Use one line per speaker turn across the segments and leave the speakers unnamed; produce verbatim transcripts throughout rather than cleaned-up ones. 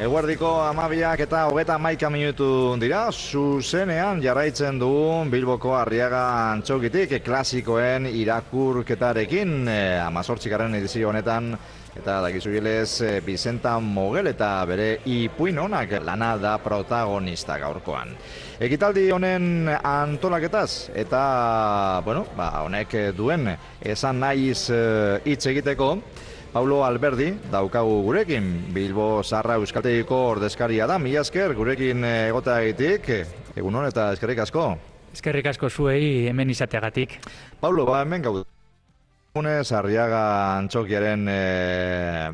Eguerdiko amabiak eta hogeta hamaika minutu dira, zuzenean jarraitzen dugu Bilboko Arriaga Antzokitik klasikoen irakurketarekin, amazortzikaren edizio honetan, eta dakizu gilez, Bizenta Mogel eta bere ipuin honak lana da protagonista gaurkoan. Ekitaldi honen antolaketaz eta, bueno, ba, honek duen esan nahiz hitz egiteko, Paulo Alberdi daukagu gurekin, Bilbo Zaharra Euskaltegiko ordezkaria da, mila esker gurekin egoteagatik, egun hon eta eskerrik asko.
Eskerrik asko zuei hemen izateagatik.
Paulo, ba hemen gaude. Arriaga Antzokiaren e,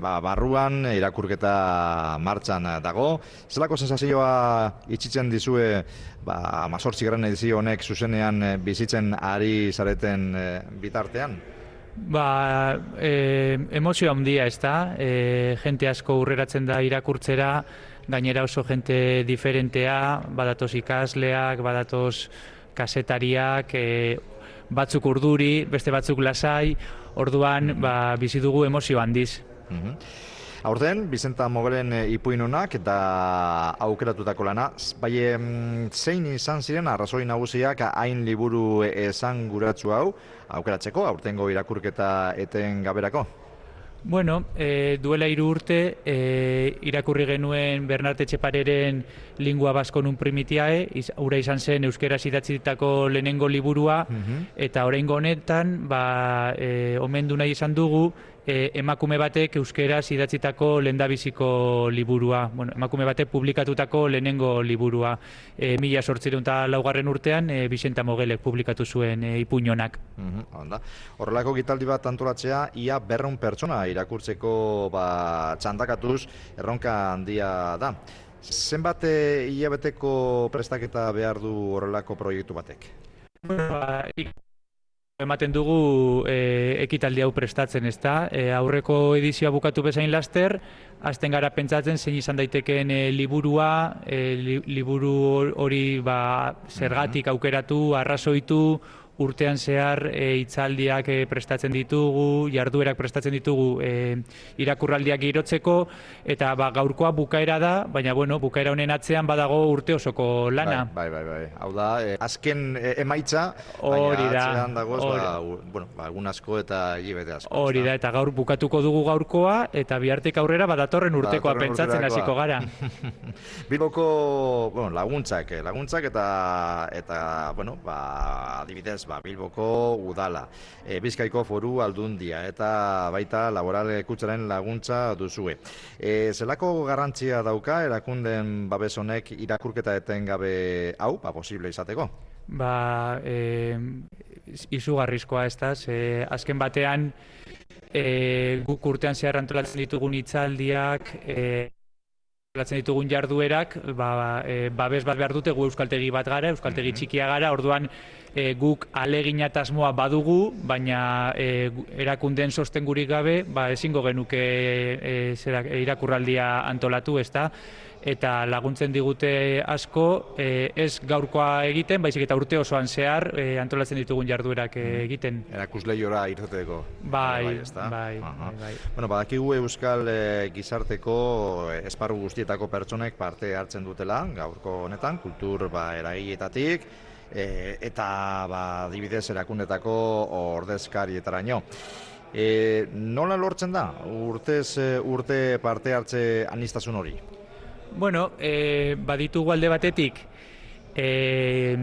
ba, barruan irakurketa martxan dago. Zelako sensazioa itxitzen dizue ba, amazortzigaren edizio honek zuzenean bizitzen ari zareten e, bitartean?
Ba, e, emozio handia ez da, e, jente asko urreratzen da irakurtzera, gainera oso jente diferentea, badatoz ikasleak, badatoz kasetariak, e, batzuk urduri, beste batzuk lasai, orduan ba, bizi dugu emozio handiz.
Mm-hmm. Aurten, Bizenta Mogelen ipuin honak eta aukeratutako lana, bai zein izan ziren arrazoi nagusiak hain liburu esanguratsu hau aukeratzeko, aurtengo irakurketa eten gaberako?
Bueno, e, duela hiru urte e, irakurri genuen Bernart Etxepareren Lingua Baskon un Primitiae, iz, ura izan zen euskeraz idatzitako lehenengo liburua, mm-hmm. eta oraingo honetan ba, e, omendu nahi izan dugu e, emakume batek euskeraz idatzitako lehendabiziko liburua, bueno, emakume batek publikatutako lehenengo liburua. E, mila sortziehun eta laugarren urtean e, Bizenta Mogelek publikatu zuen e, ipuin honak.
Mm-hmm. Horrelako gitaldi bat antolatzea, ia berrehun pertsona irakurtzeko ba, txandakatuz erronka handia da. Zenbat hilabeteko prestaketa behar du horrelako proiektu batek?
Ba, ematen dugu e, ekitaldi hau prestatzen, ez da? E, aurreko edizioa bukatu bezain laster, hasten gara pentsatzen zein izan daitekeen e, liburua, e, li, liburu hori ba, zergatik aukeratu, arrazoitu, urtean zehar e, hitzaldiak e, prestatzen ditugu, jarduerak prestatzen ditugu e, irakurraldiak girotzeko, eta ba, gaurkoa bukaera da, baina bueno, bukaera honen atzean badago urte osoko lana.
Bai, bai, bai. Hau da, e, azken e, emaitza,
baina
atzean dagoz, ba, bueno, ba, egun asko eta hilabete asko.
Hori da, eta gaur bukatuko dugu gaurkoa, eta bihartik aurrera badatorren urtekoa badatorren pentsatzen hasiko gara.
Bilboko, bueno, laguntzak, laguntzak eta, eta bueno, ba, adibidez, ba, Bilboko udala, e, Bizkaiko foru aldundia eta baita laboral kutsaren laguntza duzue. E, zelako garrantzia dauka erakunden babes honek irakurketa etengabe hau, ba, posible izateko?
Ba, e, izugarrizkoa ez da, e, azken batean e, guk urtean zehar antolatzen ditugun hitzaldiak, e, antolatzen ditugun jarduerak, ba, e, babes bat behar dute, gu euskaltegi bat gara, euskaltegi txikia gara, orduan e, guk alegina eta asmoa badugu, baina e, erakunden sostengurik gabe, ba, ezingo genuke e, zera, irakurraldia antolatu, ez da? Eta laguntzen digute asko, e, ez gaurkoa egiten, baizik eta urte osoan zehar e, antolatzen ditugun jarduerak e, egiten.
Erakusleiora irteteko.
Bai, bai, bai, bai, bai.
Bueno, badakigu euskal e, gizarteko e, esparru guztietako pertsonek parte hartzen dutela, gaurko honetan, kultur ba, eragietatik, e, eta ba, adibidez erakundetako ordezkarietaraino. E, nola lortzen da, urtez urte parte hartze aniztasun hori?
Bueno, e, baditugu alde batetik e,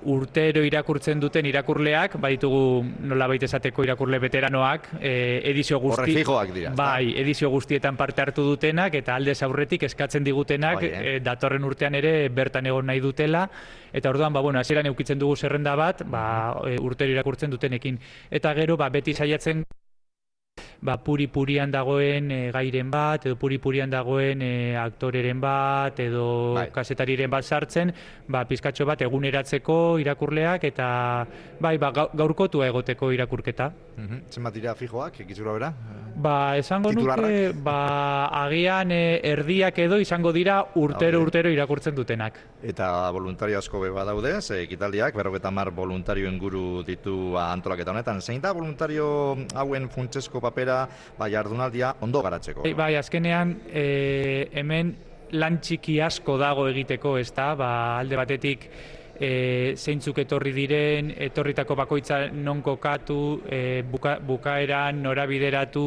urtero irakurtzen duten irakurleak, baditugu nolabait esateko irakurle veteranoak, e, edizio guzti...
Horre fijoak dira.
Bai, edizio guztietan parte hartu dutenak eta aldez aurretik eskatzen digutenak bai, eh? e, datorren urtean ere bertan egon nahi dutela, eta orduan, ba, bueno, hasieran eukitzen dugu zerrenda bat, ba, e, urtero irakurtzen dutenekin. Eta gero, ba, beti saiatzen ba, puri-purian dagoen e, gairen bat, edo puri-purian dagoen e, aktoreren bat, edo bai. kasetariren bat sartzen, ba, pizkatxo bat eguneratzeko irakurleak, eta bai, ba, gaurkotua egoteko irakurketa.
Mm-hmm. Zenbat dira fijoak, egizura bera?
Ba, esango nuke, ba, agian e, erdiak edo izango dira urtero-urtero okay. irakurtzen dutenak.
Eta voluntario asko beba daude, ze ekitaldiak, berrogeita hamar voluntario inguru ditu antolaketa honetan. Zein da voluntario hauen funtsezko papera, ba, jardunaldia ondo garatzeko?
Bai, bai azkenean, e, hemen lan txiki asko dago egiteko, ez da, ba, alde batetik e, zeintzuk etorri diren, etorritako bakoitza non kokatu, e, buka, bukaeran norabideratu,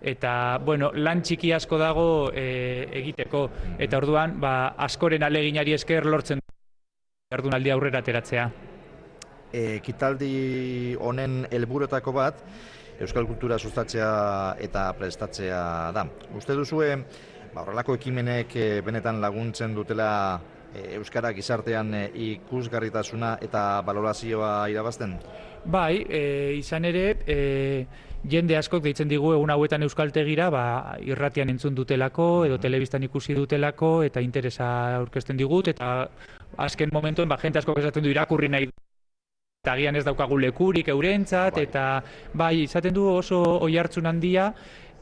eta, bueno, lan txiki asko dago e, egiteko. Eta orduan, ba, askoren aleginari esker lortzen jardunaldi aurrera ateratzea.
Ekitaldi honen helburuetako bat, euskal kultura sustatzea eta prestatzea da. Uste duzue, ba, horrelako ekimenek benetan laguntzen dutela euskara gizartean ikusgarritasuna eta balorazioa irabazten?
Bai, e, izan ere, e, jende askok deitzen digu egun hauetan euskaltegira, ba, irratian entzun dutelako edo telebistan ikusi dutelako eta interesa aurkezten digut, eta azken momentuen ba, jente askok esaten du irakurri nahi eta agian ez daukagu lekurik eurentzat, bai. Eta bai, izaten du oso oihartzun handia,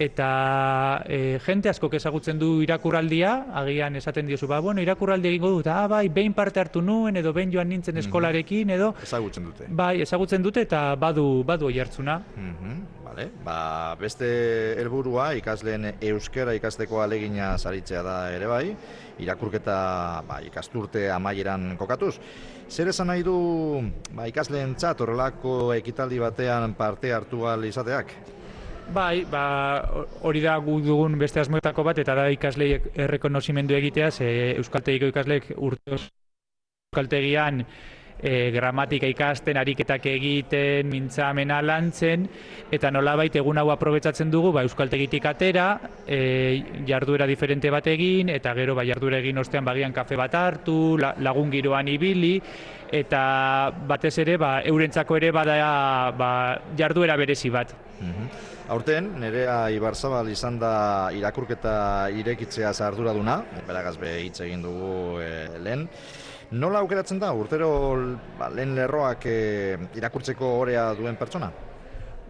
eta e, jente askok ezagutzen du irakurraldia, agian esaten diozu, ba, bueno, irakurraldi egingo dut, ah, bai, behin parte hartu nuen, edo behin joan nintzen eskolarekin, edo...
Ezagutzen dute.
Bai, ezagutzen dute, eta badu, badu oihartzuna.
Mm-hmm, vale. Ba, beste helburua ikasleen euskara ikasteko alegina saritzea da ere bai, irakurketa ba, ikasturte amaieran kokatuz. Zer esan nahi du ba, ikasleentzat horrelako ekitaldi batean parte hartu ahal izateak?
Bai, ba, hori da gu dugun beste asmoetako bat, eta da ikasleek errekonozimendu egitea, ze euskaltegiko ikasleek urte euskaltegian e, gramatika ikasten, ariketak egiten, mintzamena lantzen, eta nolabait egun hau aprobetsatzen dugu ba, euskaltegitik atera, e, jarduera diferente bat egin, eta gero ba, jarduera egin ostean bagian kafe bat hartu, la, lagun giroan ibili, eta batez ere ba, eurentzako ere bada ba, jarduera berezi bat.
Mm-hmm. Aurten, Nerea Ibarzabal izan da irakurketa irekitzea arduraduna, beragaz be hitz egin dugu e, lehen. Nola aukeratzen da, urtero ba, lehen lerroak e, irakurtzeko orea duen pertsona?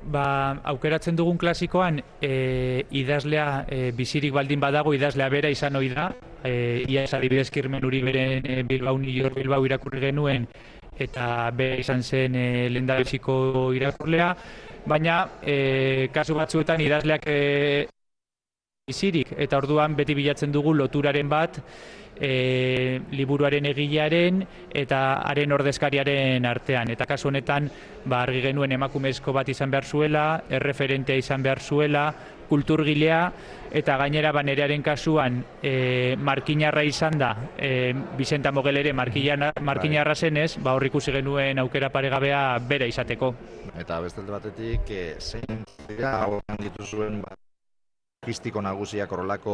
Ba, aukeratzen dugun klasikoan e, idazlea e, bizirik baldin badago idazlea bera izan ohi da. E, ia ez adibidez Kirmen Uriberen e, Bilbao New York Bilbao irakurri genuen eta bera izan zen e, lehendabiziko irakurlea. Baina, e, kasu batzuetan idazleak e, bizirik, eta orduan beti bilatzen dugu loturaren bat e, liburuaren egilearen eta haren ordezkariaren artean. Eta kasu honetan, ba, argi genuen emakumezko bat izan behar zuela, erreferentea izan behar zuela, kulturgilea, eta gainera ba, Nerearen kasuan e, markinarra izan da, e, Bizenta Mogel ere markinarra zenez, ba, hor ikusi genuen aukera paregabea bera izateko.
Eta beste batetik, e, zein dira hauan dituzuen ba, logistiko nagusiak horrelako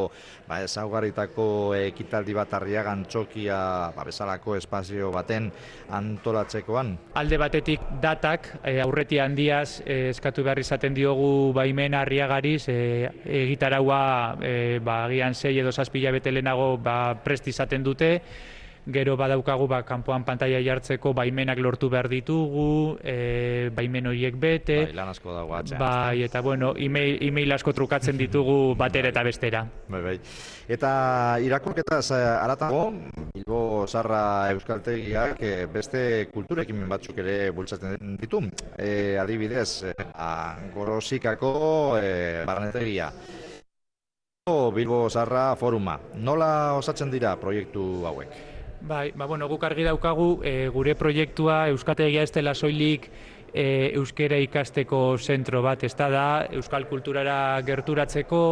ba, ezaugarritako ekitaldi bat Arriagan txokia ba, bezalako espazio baten antolatzekoan? Alde
batetik datak, e, aurreti handiaz e, eskatu behar izaten diogu baimena Arriagariz, e, egitaraua e, ba, agian sei edo zazpi hilabete lehenago ba, prest izaten dute, gero badaukagu ba, kanpoan pantaila jartzeko baimenak lortu behar ditugu, e, baimen horiek bete.
Bai, lan asko dago atzean.
Bai, eta bueno, email, email asko trukatzen ditugu batera eta bestera.
Bai, bai. Eta irakurketaz haratago, Bilbo Zarra Euskaltegiak beste kulturekin batzuk ere bultzatzen ditu. E, adibidez, a, Gorozikako e, barnetegia. Bilbo Zarra Foruma. Nola osatzen dira proiektu hauek?
Bai, ba, bueno, guk argi daukagu e, gure proiektua Euskaltegia ez dela soilik e, euskera ikasteko zentro bat, ez da, euskal kulturara gerturatzeko,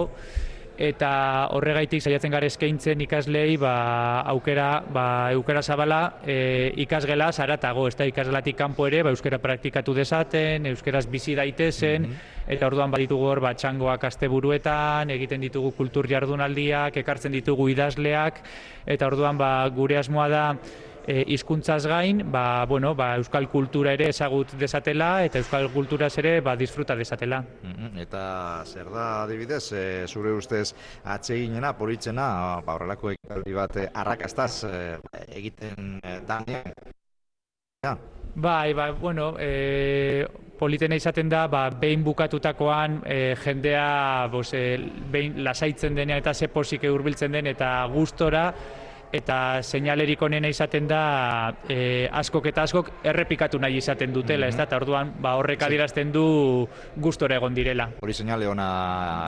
eta horregaitik saiatzen gara eskaintzen ikaslei ba, aukera ba, eukera zabala e, ikasgela zaratago, ez da, ikasgelatik kanpo ere ba, euskera praktikatu dezaten, euskeraz bizi daitezen, mm-hmm. Eta orduan baditugu hor ba, txangoak asteburuetan, egiten ditugu kultur jardunaldiak, ekartzen ditugu idazleak, eta orduan ba, gure asmoa da e, hizkuntzaz gain, ba, bueno, ba, euskal kultura ere ezagut dezatela, eta euskal kulturaz ere ba, disfruta dezatela.
Mm-hmm. Eta zer da, adibidez, e, zure ustez atseginena, politzena, ba, horrelako ekitaldi bat arrakastaz e, egiten e, danean? Ja.
Bai, ba, bueno, e, politena izaten da, ba, behin bukatutakoan e, jendea bos, e, behin lasaitzen denean eta ze posik hurbiltzen den eta gustora eta seinalerik onena izaten da e, askok eta askok errepikatu nahi izaten dutela, ez da, eta orduan ba, horrek adierazten du gustora egon direla.
Hori seinale ona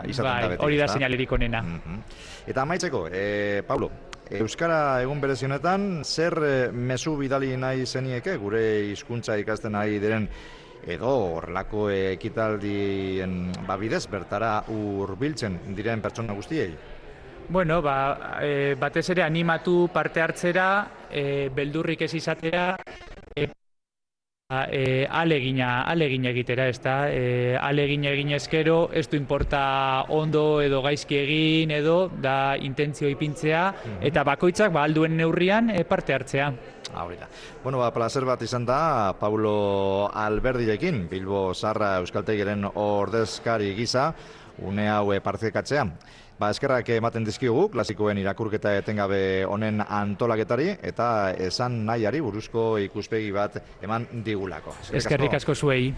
izaten
bai,
da beti.
Hori da seinalerik onena.
Mm-hmm. Eta amaitzeko, e, Paulo, Euskara egun berezionetan, zer e, mezu bidali nahi zenieke gure hizkuntza ikasten nahi diren edo horrelako ekitaldien babidez bertara hurbiltzen diren pertsona guztiei?
Bueno, ba, e, batez ere animatu parte hartzera, e, beldurrik ez izatera, e, e, alegina, alegina egitera, ez da, e, alegina egin ezkero, ez du importa ondo edo gaizki egin edo, da intentzio ipintzea, eta bakoitzak ba, alduen neurrian e, parte hartzea.
Ahorita. Bueno, ba, placer bat izan da, Paulo Alberdirekin, Bilbo Zaharra Euskaltegiren ordezkari gisa, une hau partekatzea. Ba, eskerrak ematen dizkigu, klasikoen irakurketa etengabe honen antolaketari, eta esan nahiari buruzko ikuspegi bat eman digulako.
Eskerrik asko zuei.